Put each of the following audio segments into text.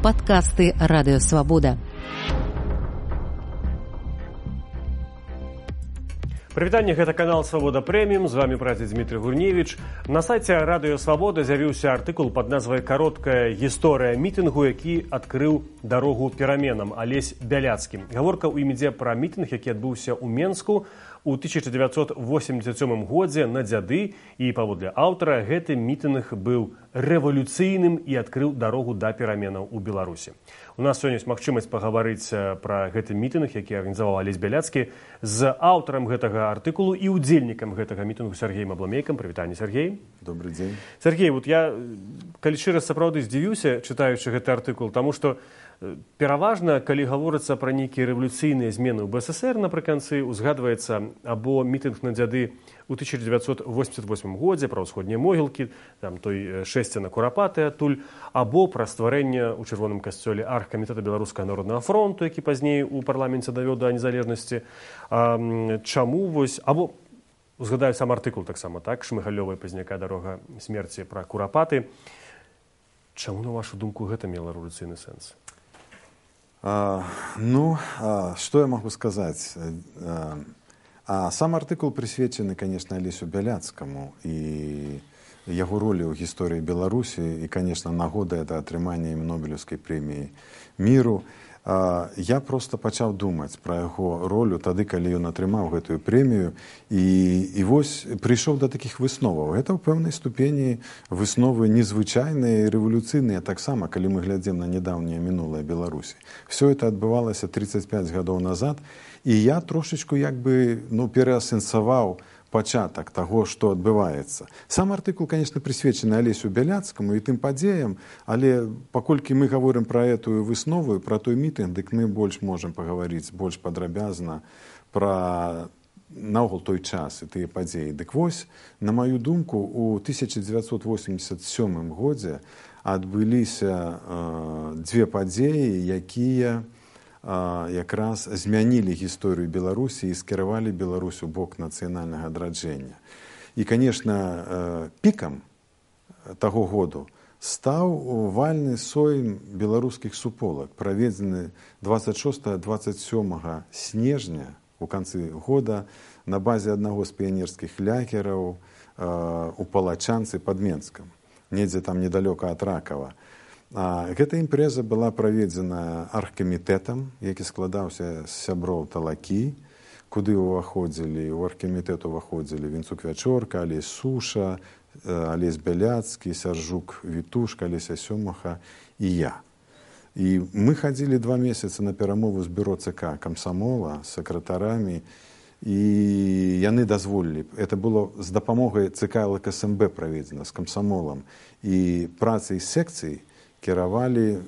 Падкасты Радыёвабода. Прывітанне, гэта канал «Свабода Прэміум», з вами працы Дмітрый Гурневіч. На сайце Радыёвабода з'явіўся артыкул пад назвай «Кароткая гісторыя мітынгу, які адкрыў дарогу пераменам» Алесь Бяляцкі. Гаворка ў ім ідзе пра мітынг, які адбыўся ў Менску у 1987 годзе на дзяды, і паводле аўтара гэты мітынг быў рэвалюцыйным і адкрыў дарогу да пераменаў у Беларусі. У нас сёння ёсць магчымасць пагаварыць пра гэты мітынг, які арганізаваў Алесь Бяляцкі, з аўтарам гэтага артыкулу і удзельнікам гэтага мітынгу Сергеем Абламейкам. Прывітанне, Сергей. Добрый дзень. Сергей, вот я, калі шчыра сапраўды здзівіўся, чытаючы гэты артыкул, таму што пераважна, калі гаворыцца пра нейкія рэвалюцыйныя змены ў БССР напрыканцы, узгадваецца або мітынг на дзяды у 1988 годзе пра ўсходнія могілкі, там той шэсця на Курапаты адтуль, або пра стварэнне ў Чырвоным касцёле аргкамітэта Беларускага народнага фронту, які пазней у парламенце давёў да незалежнасці. Чаму вось, або узгадаю сам артыкул таксама, так, Шмыгалёва і Пазняка «Дарога смерці» пра Курапаты. Чаму, на вашу думку, гэта мела рэвалюцыйны сэнс? Что я могу сказать? Сам артыкул присвечаны, конечно, Алесю Бяляцкаму и его роли ў гісторыі Беларусі, и, конечно, нагода это атрымання ім Нобелевскай прэміі міру. Я просто пачаў думаць пра яго ролю тады, калі ён атрымаў гэтую прэмію, і вось прыйшоў да такіх высноваў. Гэта ў пэўнай ступені высновы незвычайныя і рэвалюцыйныя таксама, калі мы глядзім на нядаўняе мінулае Беларусі. Все это адбывалася 35 гадоў назад, і я трошечку пераасэнсаваў пачатак таго, што адбываецца. Сам артыкул, конечно, прысвечаны Алесю Бяляцкаму і тым падзеям, але паколькі мы гаворым пра этую выснову, пра той мітынг, дык мы больш можам пагаварыць больш падрабязна пра наогул той час і тыя падзеі. Дык вось, на маю думку, у 1987 годзе адбыліся дзве падзеі, якія якраз змянілі гісторыю Беларусі і скіравалі Беларусь у бок нацыянальнага адраджэння. І, конечно, пікам таго году стаў вальны сойм беларускіх суполак, праведзены 26-27 снежня у канцы года на базе аднаго з піянерскіх лагераў у Палачанцы пад Менскам, недзе там недалёка ад Ракава. Гэта імпрэза была праведзена аргкамітэтам, які складаўся з сяброў Талакі, куды ўваходзілі, у аргкамітэт уваходзілі Вінцук Вячорка, Алесь Суша, Алесь Бяляцкі, Сяржук Вітушка, Алеся Сёмаха і я. І мы хадзілі 2 месяцы на перамову з бюро ЦК камсамола, з сакратарамі, і яны дазволілі. Это было з дапамогай ЦК ЛКСМБ праведзена, з камсамолам. І працай секцый кіравалі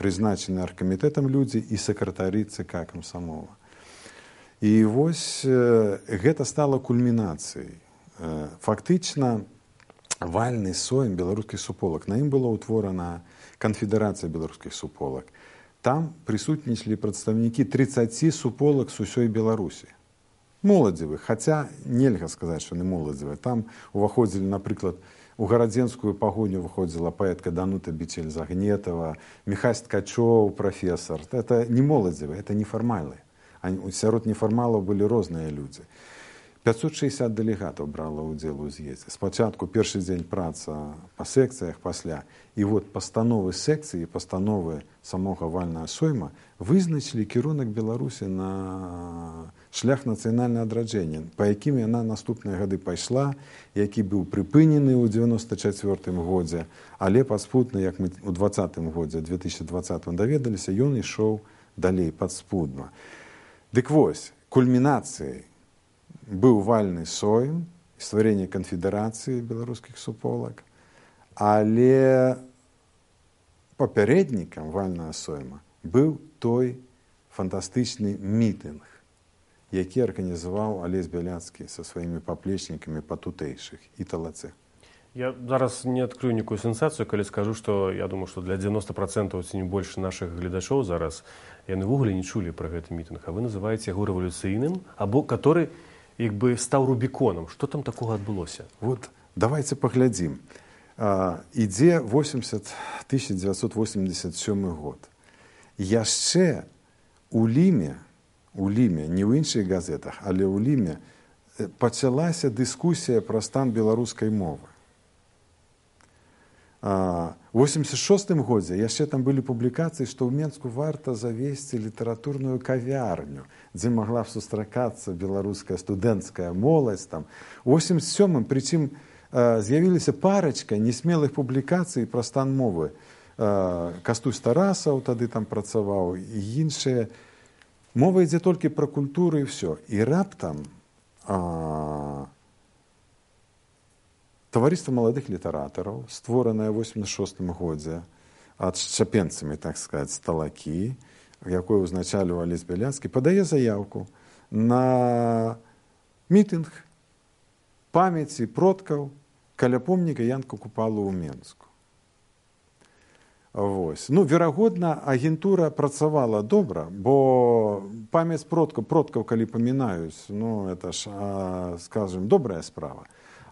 прызначаны аргкамітэтам людзі і сакратары ЦК камсамола. І вось гэта стала кульмінацыяй. Фактычна вальны сойм беларускіх суполак. На ім была ўтворана канфедэрацыя беларускіх суполак. Там прысутнічалі прадстаўнікі 30 суполак з усёй Беларусі. Моладзевых, хаця нельга сказаць, што не моладзевыя. Там уваходзілі, напрыклад, у гарадзенскую пагоню выходзіла паэтка Данута Бічель-Загнетава, Міхась Ткачоў, прафесар. Это не моладзевыя, это нефармалы. Сярод нефармалаў былі розныя людзі. 560 дэлегатаў брала ўдзел у з'ездзе. Спачатку першы дзень праца па секцыях, пасля. І вот пастановы секцыі, пастановы самога вальнага сойма вызначылі кірунак Беларусі на шлях нацыянальнага адраджэння, па якім яна наступныя гады пайшла, які быў прыпынены ў 94 годзе, але падспудна, як мы ў 20 годзе, 2020 даведаліся, ён ішоў далей падспудна. Дык вось, кульмінацыяй быў вальны сойм, стварэнне канфедэрацыі беларускіх суполак, але папярэднікам вальнага сойма быў той фантастычны мітынг, які арганізаваў Алесь Бяляцкі са сваімі паплечнікамі патутэйшых і Талацэ. Я зараз не адкрыю нікую сенсацыю, калі скажу, што я думаю, што для 90% ці не больш нашых гледачоў зараз яны ўвогуле не чулі пра гэты мітынг, а вы называеце яго рэвалюцыйным, або который як бы стаў рубіконам. Што там такога адбылося? Вот давайте паглядзім. Ідзе 1987 год. Яшчэ у Ліме, не ў іншых газетах, але ў Ліме пачалася дыскусія пра стан беларускай мовы. У 86 годзе яшчэ там былі публікацыі, што ў Менску варта завесці літаратурную кавярню, дзе магла б сустракацца беларуская студэнцкая моладзь. У 87-м, прычым, з'явілася парачка несмелых публікацый пра стан мовы. Кастусь Тарасаў тады там працаваў, і іншыя. Мова ідзе толькі пра культуру і ўсё. І раптам таварыства маладых літаратараў, створанае ў 86 годзе адшчапенцамі, так сказаць, Талакі, якое ўзначальваў Алесь Бяляцкі, падае заяўку на мітынг памяці продкаў каля помніка Янка Купалы ў Менску. Верагодна, агентура працавала добра, бо памяць продкаў, калі памінаюць, это ж, скажем, добрая справа.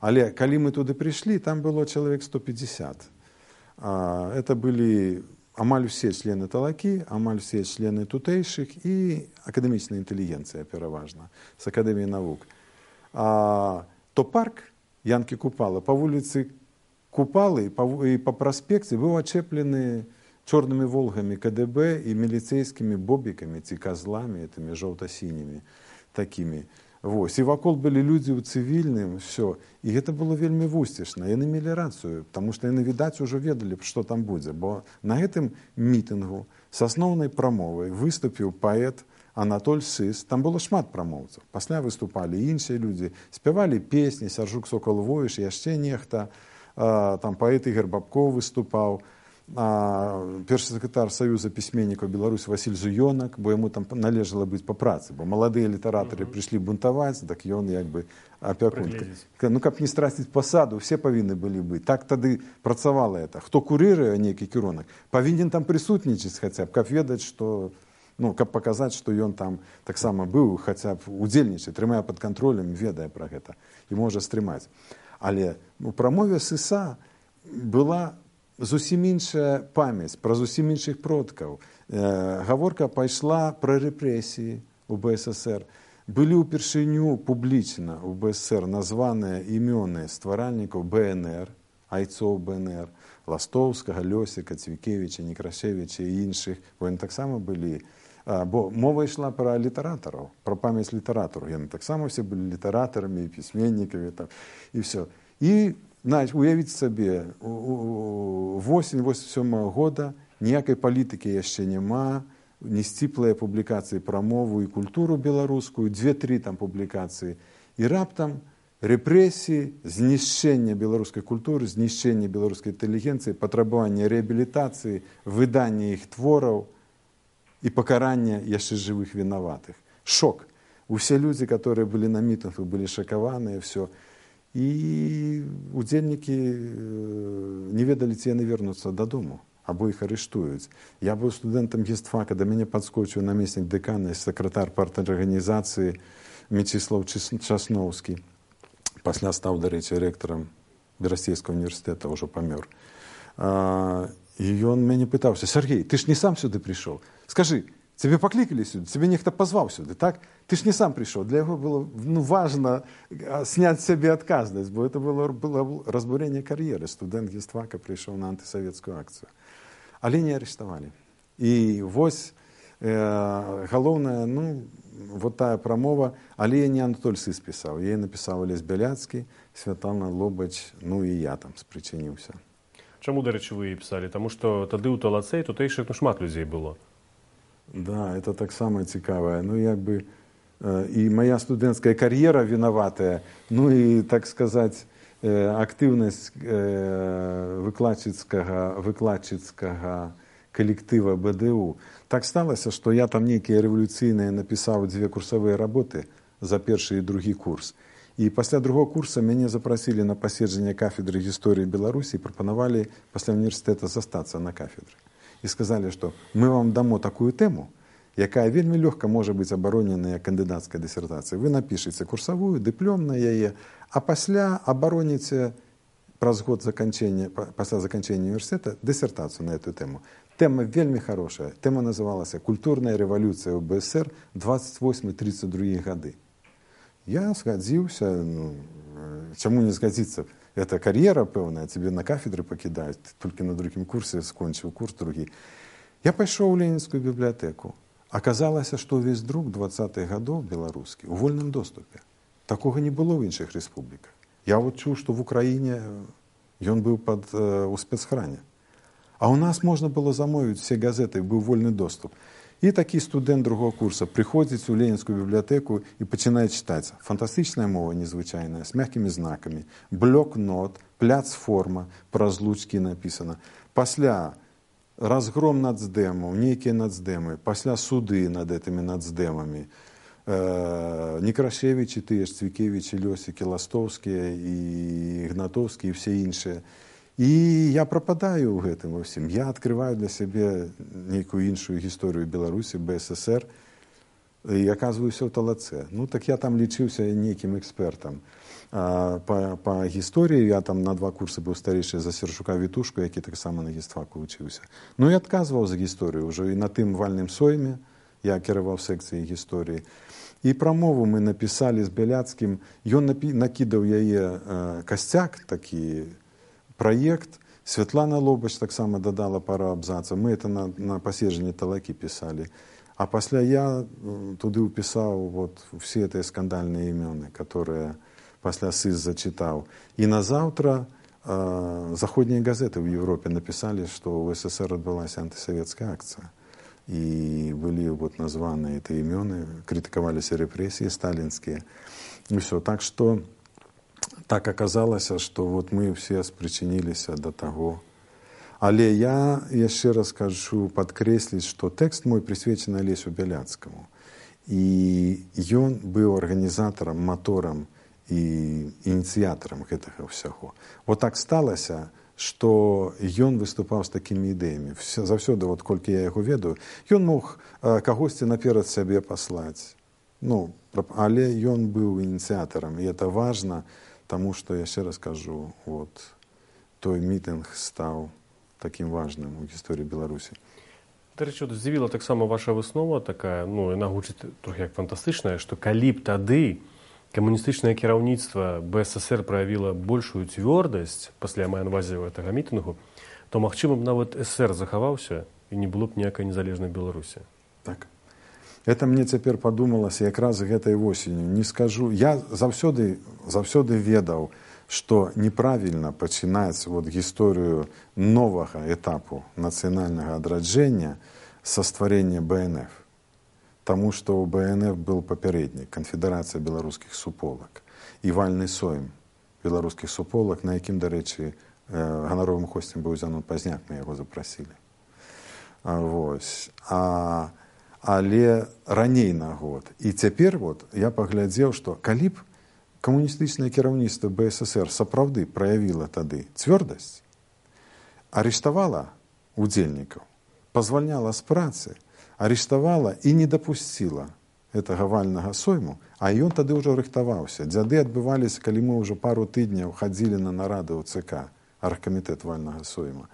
Але калі мы туды прыйшлі, там было чалавек 150. Это былі амаль усе члены Талакі, амаль усе члены тутэйшых і акадэмічная інтэлігенцыя, пераважна, з Акадэміі навук. То парк Янкі Купалы па вуліцы Купалы і па праспекце быў ачэплены чорнымі волгамі КДБ і міліцэйскімі бобікамі ці казламі, этымі жоўта-сінімі такімі. І вакол былі людзі ў цывільным, все. І гэта было вельмі вусцішна. Яны мелі рацыю, таму што яны, відаць, ужо ведалі, што там будзе. Бо на гэтым мітынгу з асноўнай прамовай выступіў паэт Анатоль Сыс. Там было шмат прамоўцаў. Пасля выступалі іншыя людзі, спявалі песні, Сяржук Сокол-Войш, яшчэ нехта. Там паэт Ігор Бабкоў выступаў, першы сакратар Саюза пісьменнікаў Беларусі Васіль Зуёнак, бо яму там належала быць па працы, бо маладыя літаратары прыйшлі бунтаваць, так ён як бы апякун. Каб не страціць пасаду, все павінны былі быць. Так тады працавала это. Хто курыруе нейкі кірунак, павінен там прысутнічаць хаця б, каб ведаць, што, каб паказаць, што ён там таксама быў, хаця б удзельнічае, трымае пад кантролем, ведае пра гэта і можа стрымаць. Але у прамове Сыса была зусім іншая памяць пра зусім іншых продкаў. Гаворка пайшла пра рэпрэсіі ў БССР. Былі ўпершыню публічна ў БССР названыя імёны стваральнікаў БНР, айцоў БНР, Ластоўскага, Лёсіка, Цвікевіча, Некрашевіча і іншых. Бо яны таксама былі. Бо мова ішла пра літаратараў, пра памяць літаратараў. Яны таксама все былі літаратарамі, пісьменнікамі і все. І уявіць сабе, восень 87 года ніякай палітыкі яшчэ няма, не сціплыя публікацыі пра мову і культуру беларускую, 2-3 там публікацыі. І раптам рэпрэсіі, знішчэнне беларускай культуры, знішчэнне беларускай інтэлігенцыі, патрабаванне рэабілітацыі, выданне іх твораў і пакаранне яшчэ жывых вінаватых. Шок. Усе людзі, которые былі на мітынгах, былі шакаваныя, все. І удзельнікі не ведалі, ці яны вернуцца дадому, або іх арыштуюць. Я быў студэнтам гістфака, да мяне падскочыў намеснік дэкана, сакратар парторганізацыі Мечислав Часноўскі. Пасля стаў, дарэчы, рэктарам Берасцейскага універсітэта, ўжо памёр. І ён мяне пытаўся: Сергей, ты ж не сам сюды прыйшоў. Скажы, цябе паклікалі сюды, цябе нехта пазваў сюды, так? Ты ж не сам прыйшоў. Для яго было важна сняць сябе адказнасць, бо это было разбурэнне кар'еры. Студэнт гістфака прыйшоў на антысавецкую акцыю. Але не арыштавалі. І вось галоўная, вот тая прамова, але я не Анатоль Сыс пісаў. Я напісаў Алесь Бяляцкі, Святлана Лобач, і я там спрычыніўся. Чаму, дарэчы, вы пісалі? Таму што тады ў Талацэй тутэйшых шмат людзей было. Да, это таксама цікавае. І моя студэнцкая кар'ера вінаватая, і, так сказаць, актыўнасць выкладчыцкага калектыва БДУ. Так сталася, што я там нейкія рэвалюцыйныя напісаў 2 курсавыя работы за першы і другі курс. І пасля другого курса мяне запрасілі на паседжанне кафедры гісторыі Беларусі і прапанавалі пасля універсітэта застацца на кафедры. І сказалі, што мы вам дамо такую тэму, якая вельмі лёгка можа быць абароненая кандыдацкай дысертацыяй. Вы напішыце курсавую, дыплём на яе, а пасля абароніце праз год пасля заканчэння універсітэта дысертацыю на эту тэму. Тэма вельмі хорошая. Тэма называлася «Культурная рэвалюцыя ў БСР 28-32 гады». Я згадзіўся, чаму не згадзіцца? Это кар'ера пэўная, цябе на кафедры пакідаюць, толькі на другім курсе скончыў курс другі. Я пайшоў у Ленінскую бібліятэку. Аказалася, што ўвесь друк 20-х гадоў беларускі ў вольным доступе. Такога не было ў іншых рэспубліках. Я вот чуў, што в Украіне ён быў у спецхране. А у нас можна было замовіць все газеты, быў вольны доступ. І такі студэнт другого курса прыходзіць у Ленінскую бібліятэку і пачынае чытаць. Фантастычная мова незвычайная, з мяккімі знакамі, блок-нот, пляцформа, праз лучкі напісана. Пасля разгром нацдэмаў, нейкія нацдэмы, пасля суды над гэтымі нацдэмамі, Некрашевічы, тыя ж Цвікевічы, Лёсікі, Ластоўскія і Ігнатоўскія і все іншыя. І я прападаю ў гэтым усім. Я адкрываю для сябе нейкую іншую гісторыю Беларусі, БССР, і аказваюся ў талацэ. Ну, так я там лічыўся нейкім экспертам. Па гісторыі я там на 2 курсы быў старэйшы за Сершука Вітушку, які таксама на гістфаку вучыўся. Ну, і адказваў за гісторыю ўжо і на тым вальным сойме. Я кіраваў секцыяй гісторыі. І прамову мы напісалі з Бяляцкім. Ён накідаў яе касцяк, такі праект. Святлана Лобач таксама дадала пару абзацаў. Мы это на паседжанні талакі пісалі. А пасля я туды ўпісаў вот все гэтыя скандальныя імёны, которые пасля СЫЗ зачытаў. І назаўтра заходнія газеты ў Европе напісалі, што ў СССР адбылася антысавецкая акцыя. И были вот названы эти имены, критиковались репрессии сталинские. И все. Так что так оказалось, что вот мы все спричинились до того. Але я еще раз скажу, подкреслить, что текст мой присвячен Олесю Бяляцкому. И он был организатором, мотором и инициатором этого всего. Вот так сталося, што ён выступаў з такімі ідэямі. Заўсёды, вот, колькі я яго ведаю, ён мог кагосьці наперад сябе паслаць. Ну, але ён быў ініцыятарам, і это важна, таму што, яшчэ раз кажу, вот, той мітынг стаў такім важным у гісторыі Беларусі. Дарэчы, здзівіла таксама ваша выснова такая, ну, яна гучыць трохі як фантастычная, што калі б тады камуністычнае кіраўніцтва БССР праявіла большую цвёрдасць пасля майнвазію гэтага мітынгу, то, магчыма, б нават СССР захаваўся і не было б ніякай незалежнай Беларусі. Так. Это мне цяпер падумалася якраз гэтай восенню. Не скажу. Я заўсёды ведаў, што неправільна пачынаць вот гісторыю новага этапу нацыянальнага адраджэння са стварэння БНФ. Таму што ў БНФ был папярэднік, канфедэрацыя беларускіх суполак і вальны сойм беларускіх суполак, на якім, дарэчы, ганаровым госцем быў Зянон Пазняк, мы яго запрасілі. Але раней на год. І цяпер вот я паглядзеў, што калі б камуністычнае кіраўніцтва БССР сапраўды праявіла тады цвёрдасць, арыштавала удзельнікаў, пазвальняла з працы, арыштавала і не дапусціла гэтага вальнага сойму, а ён тады ўжо рыхтаваўся. Дзяды адбываліся, калі мы ўжо пару тыдняў хадзілі на нарады ў ЦК, аргкамітэт вальнага сойма.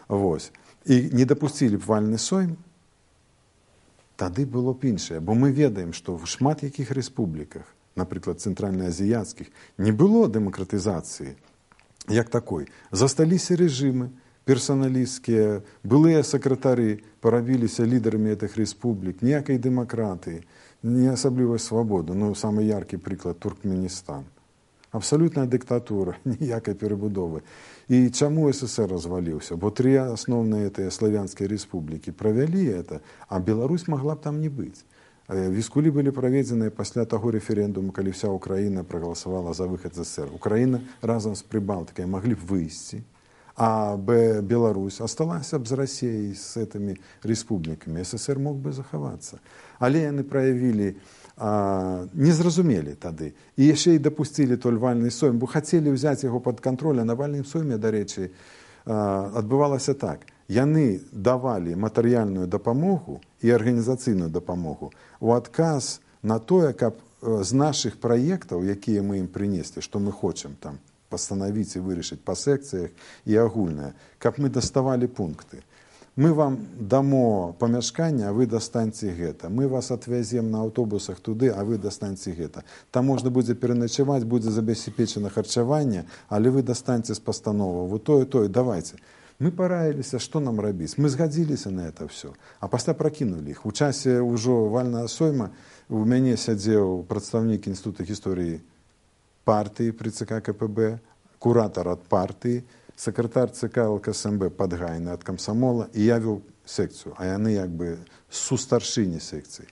Вось. І не дапусцілі б вальны сойм, тады было б іншае. Бо мы ведаем, што в шмат якіх рэспубліках, напрыклад, цэнтральнаазіяцкіх, не было дэмакратызацыі як такой. Засталіся рэжымы, персоналістскія, былыя сакратары парабіліся лідарамі гэтых рэспублік, ніякай дэмакратыі, не асаблівай свабоды. Ну, самы яркі прыклад Туркменістан. Абсалютная дыктатура, ніякай перабудовы. І чаму СССР разваліўся? Бо 3 асноўныя славянскія рэспублікі правялі это, а Беларусь магла б там не быць. Віскулі былі праведзеныя пасля таго рэферэндуму, калі вся Украіна прагаласавала за выхад з СССР. Украіна разам з Прыбалтыкай маглі б выйсці, а Беларусь осталася б з Расіяй, з гэтымі рэспублікамі. СССР мог бы захавацца. Але яны праявілі, не зразумелі тады. І яшчэ і дапусцілі той вальны сойм, бо хацелі ўзяць яго пад кантроль, а на вальным сойме, дарэчы, адбывалася так. Яны давалі матэрыяльную дапамогу і арганізацыйную дапамогу у адказ на тое, каб з нашых праектаў, якія мы ім прынеслі, што мы хочам там, пастанавіць і вырашыць па секцыях і агульнае, каб мы даставалі пункты. Мы вам дамо памяшканне, а вы дастаньце гэта. Мы вас отвязем на аўтобусах туды, а вы дастаньце гэта. Там можна будзе пераначаваць, будзе забяспечана харчаванне, але вы дастаньце з пастановы. Вот тое, давайте. Мы параіліся, што нам рабіць. Мы згадзіліся на это все. А пасля пракінулі іх. У часе ўжо вальнага сойма у мяне сядзеў прадстаўнік Інстытута гісторыі партыі пры ЦК КПБ, куратар ад партыі, сакратар ЦК ЛКСМБ Падгайны ад камсамола, і я вёў секцыю, а яны як бы сустаршыні секцыі.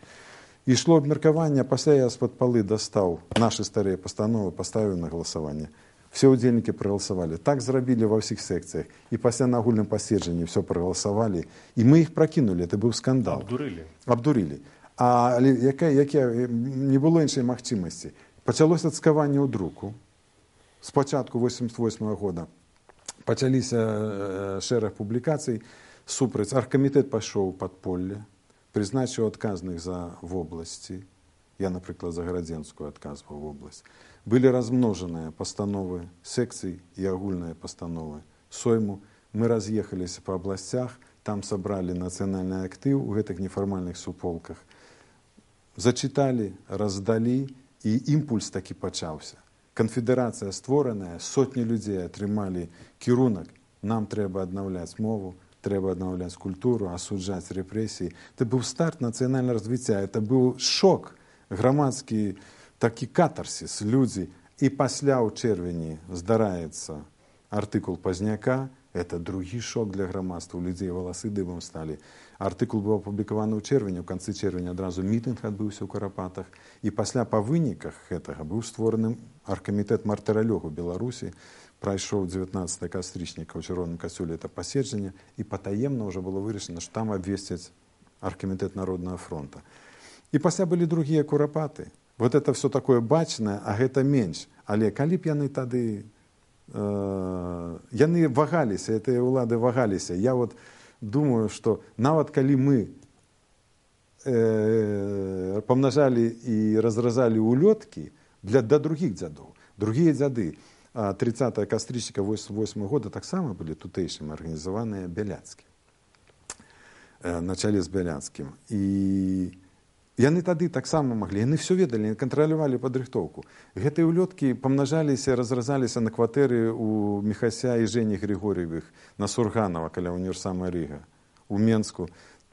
Ішло абмеркаванне, пасля я з-пад палы дастаў нашы старыя пастановы, паставіў на галасаванне. Все удзельнікі прагаласавалі. Так зрабілі ва ўсіх секцыях. І пасля на агульным паседжанні все прагаласавалі. І мы іх пракінулі. Это быў скандал. Абдурылі. Але не было іншай магчымасці. Пачалося цкаванне ў друку. Спачатку 88 года пачаліся шэраг публікацый супраць. Аргкамітэт пайшоў у падполле, прызначыў адказных за вобласці. Я, напрыклад, за Гарадзенскую адказваў вобласць. Былі размножаныя пастановы секцый і агульныя пастановы сойму. Мы раз'ехаліся па абласцях, там сабралі нацыянальны актыў у гэтых нефармальных суполках. Зачыталі, раздалі, і імпульс такі пачаўся. Канфедэрацыя створаная, сотні людзей атрымалі кірунак. Нам трэба аднаўляць мову, трэба аднаўляць культуру, асуджаць рэпрэсіі. Это быў старт нацыянальнага развіцця, это быў шок, грамадскі такі катарсіс. Людзі. І пасля ў чэрвені здараецца артыкул Пазняка. Это другі шок для грамадства. У людзей валасы дыбам сталі. Артыкул быў апублікаваны ў чэрвені, у канцы чэрвеня адразу мітынг адбыўся ў Карапатах. І пасля па выніках гэтага быў створаны аргкамітэт мартыралёгу Беларусі. Прайшоў 19 кастрычніка ў Чырвоным касцёле это паседжанне, і патаемна ўжо было вырашана, што там абвесцяць аргкамітэт Народнага фронта. І пасля былі другія курапаты. Вот это все такое бачнае, а гэта менш. Але калі б яны тады яны вагаліся, гэтыя ўлады вагаліся. Я вот думаю, што нават калі мы памнажалі і разразалі улёткі да другіх дзядоў. Другія дзяды 30 кастрычніка 88 года таксама былі тутэйшым арганізаваныя Бяляцкі. На чале з Бяляцкім. І яны тады таксама маглі, яны все ведалі, кантралявалі падрыхтоўку. Гэтыя улёткі памнажаліся, разразаліся на кватэры у Міхася і Жені Григорьевых на Сурганова, каля універсама Рыга. У Менску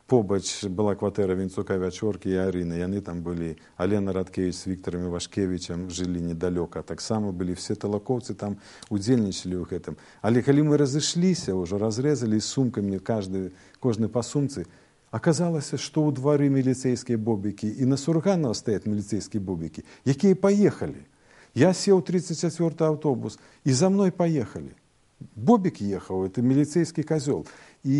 побач была кватэра Вінцука, Вячоркі і Арыны. Яны там былі. Алена Радкевіч з Віктарам Івашкевічам жылі недалёка. Таксама былі все талакоўцы там удзельнічалі ў гэтым. Але калі мы разышліся, ўжо разрэзалі сумкамі кожны па сумцы, аказалася, што ў двары міліцэйскія бобікі і на Сурганова стаяць міліцэйскія бобікі, якія паехалі. Я сеў 34-й аўтобус, і за мной паехалі. Бобік ехаў, это міліцэйскі казёл. І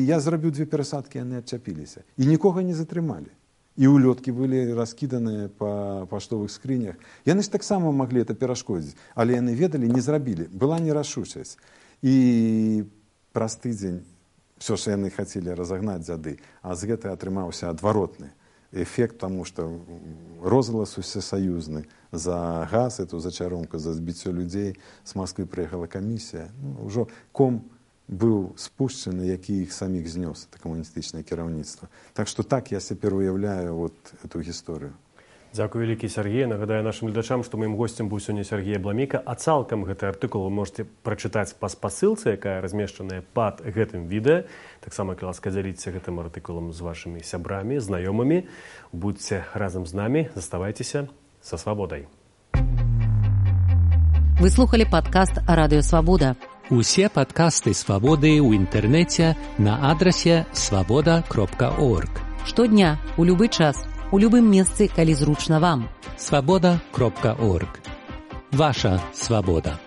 я зрабіў 2 перасадкі, яны адчапіліся. І нікога не затрымалі. І улёткі былі раскіданыя па паштовых скрынях. Яны ж таксама маглі это перашкодзіць, але яны ведалі, не зрабілі. Была нерашучасць. І праз тыдзень все, що яны хацелі разагнаць дзяды, а з гэтай атрымаўся адваротны эфект, таму што розгалас усесаюзны за газ, эту зачаромку, за збіццё людзей. З Масквы прыехала камісія. Ужо ком быў спушчаны, які іх саміх знёс, это камуністычнае кіраўніцтва. Так што так я цяпер уяўляю вот эту гісторыю. Дзякуй вялікі, Сергей. Нагадаю нашым гледачам, што маім госцем быў сёння Сергей Абламейка. А цалкам гэты артыкул вы можете прачытаць па спасылцы, якая размешчаная пад гэтым відэа. Таксама, калі ласка, дзяліцеся гэтым артыкулам з вашымі сябрамі, знаёмымі. Будзьце разам з намі, заставайцеся са свабодай. Вы слухали падкаст «Радыё Свабода». Усе падкасты «Свабоды» ў інтэрнэце на адрасе свабода.орг. Штодня, у любы час, у любым месцы, калі зручна вам. Свабода.орг. Ваша свабода.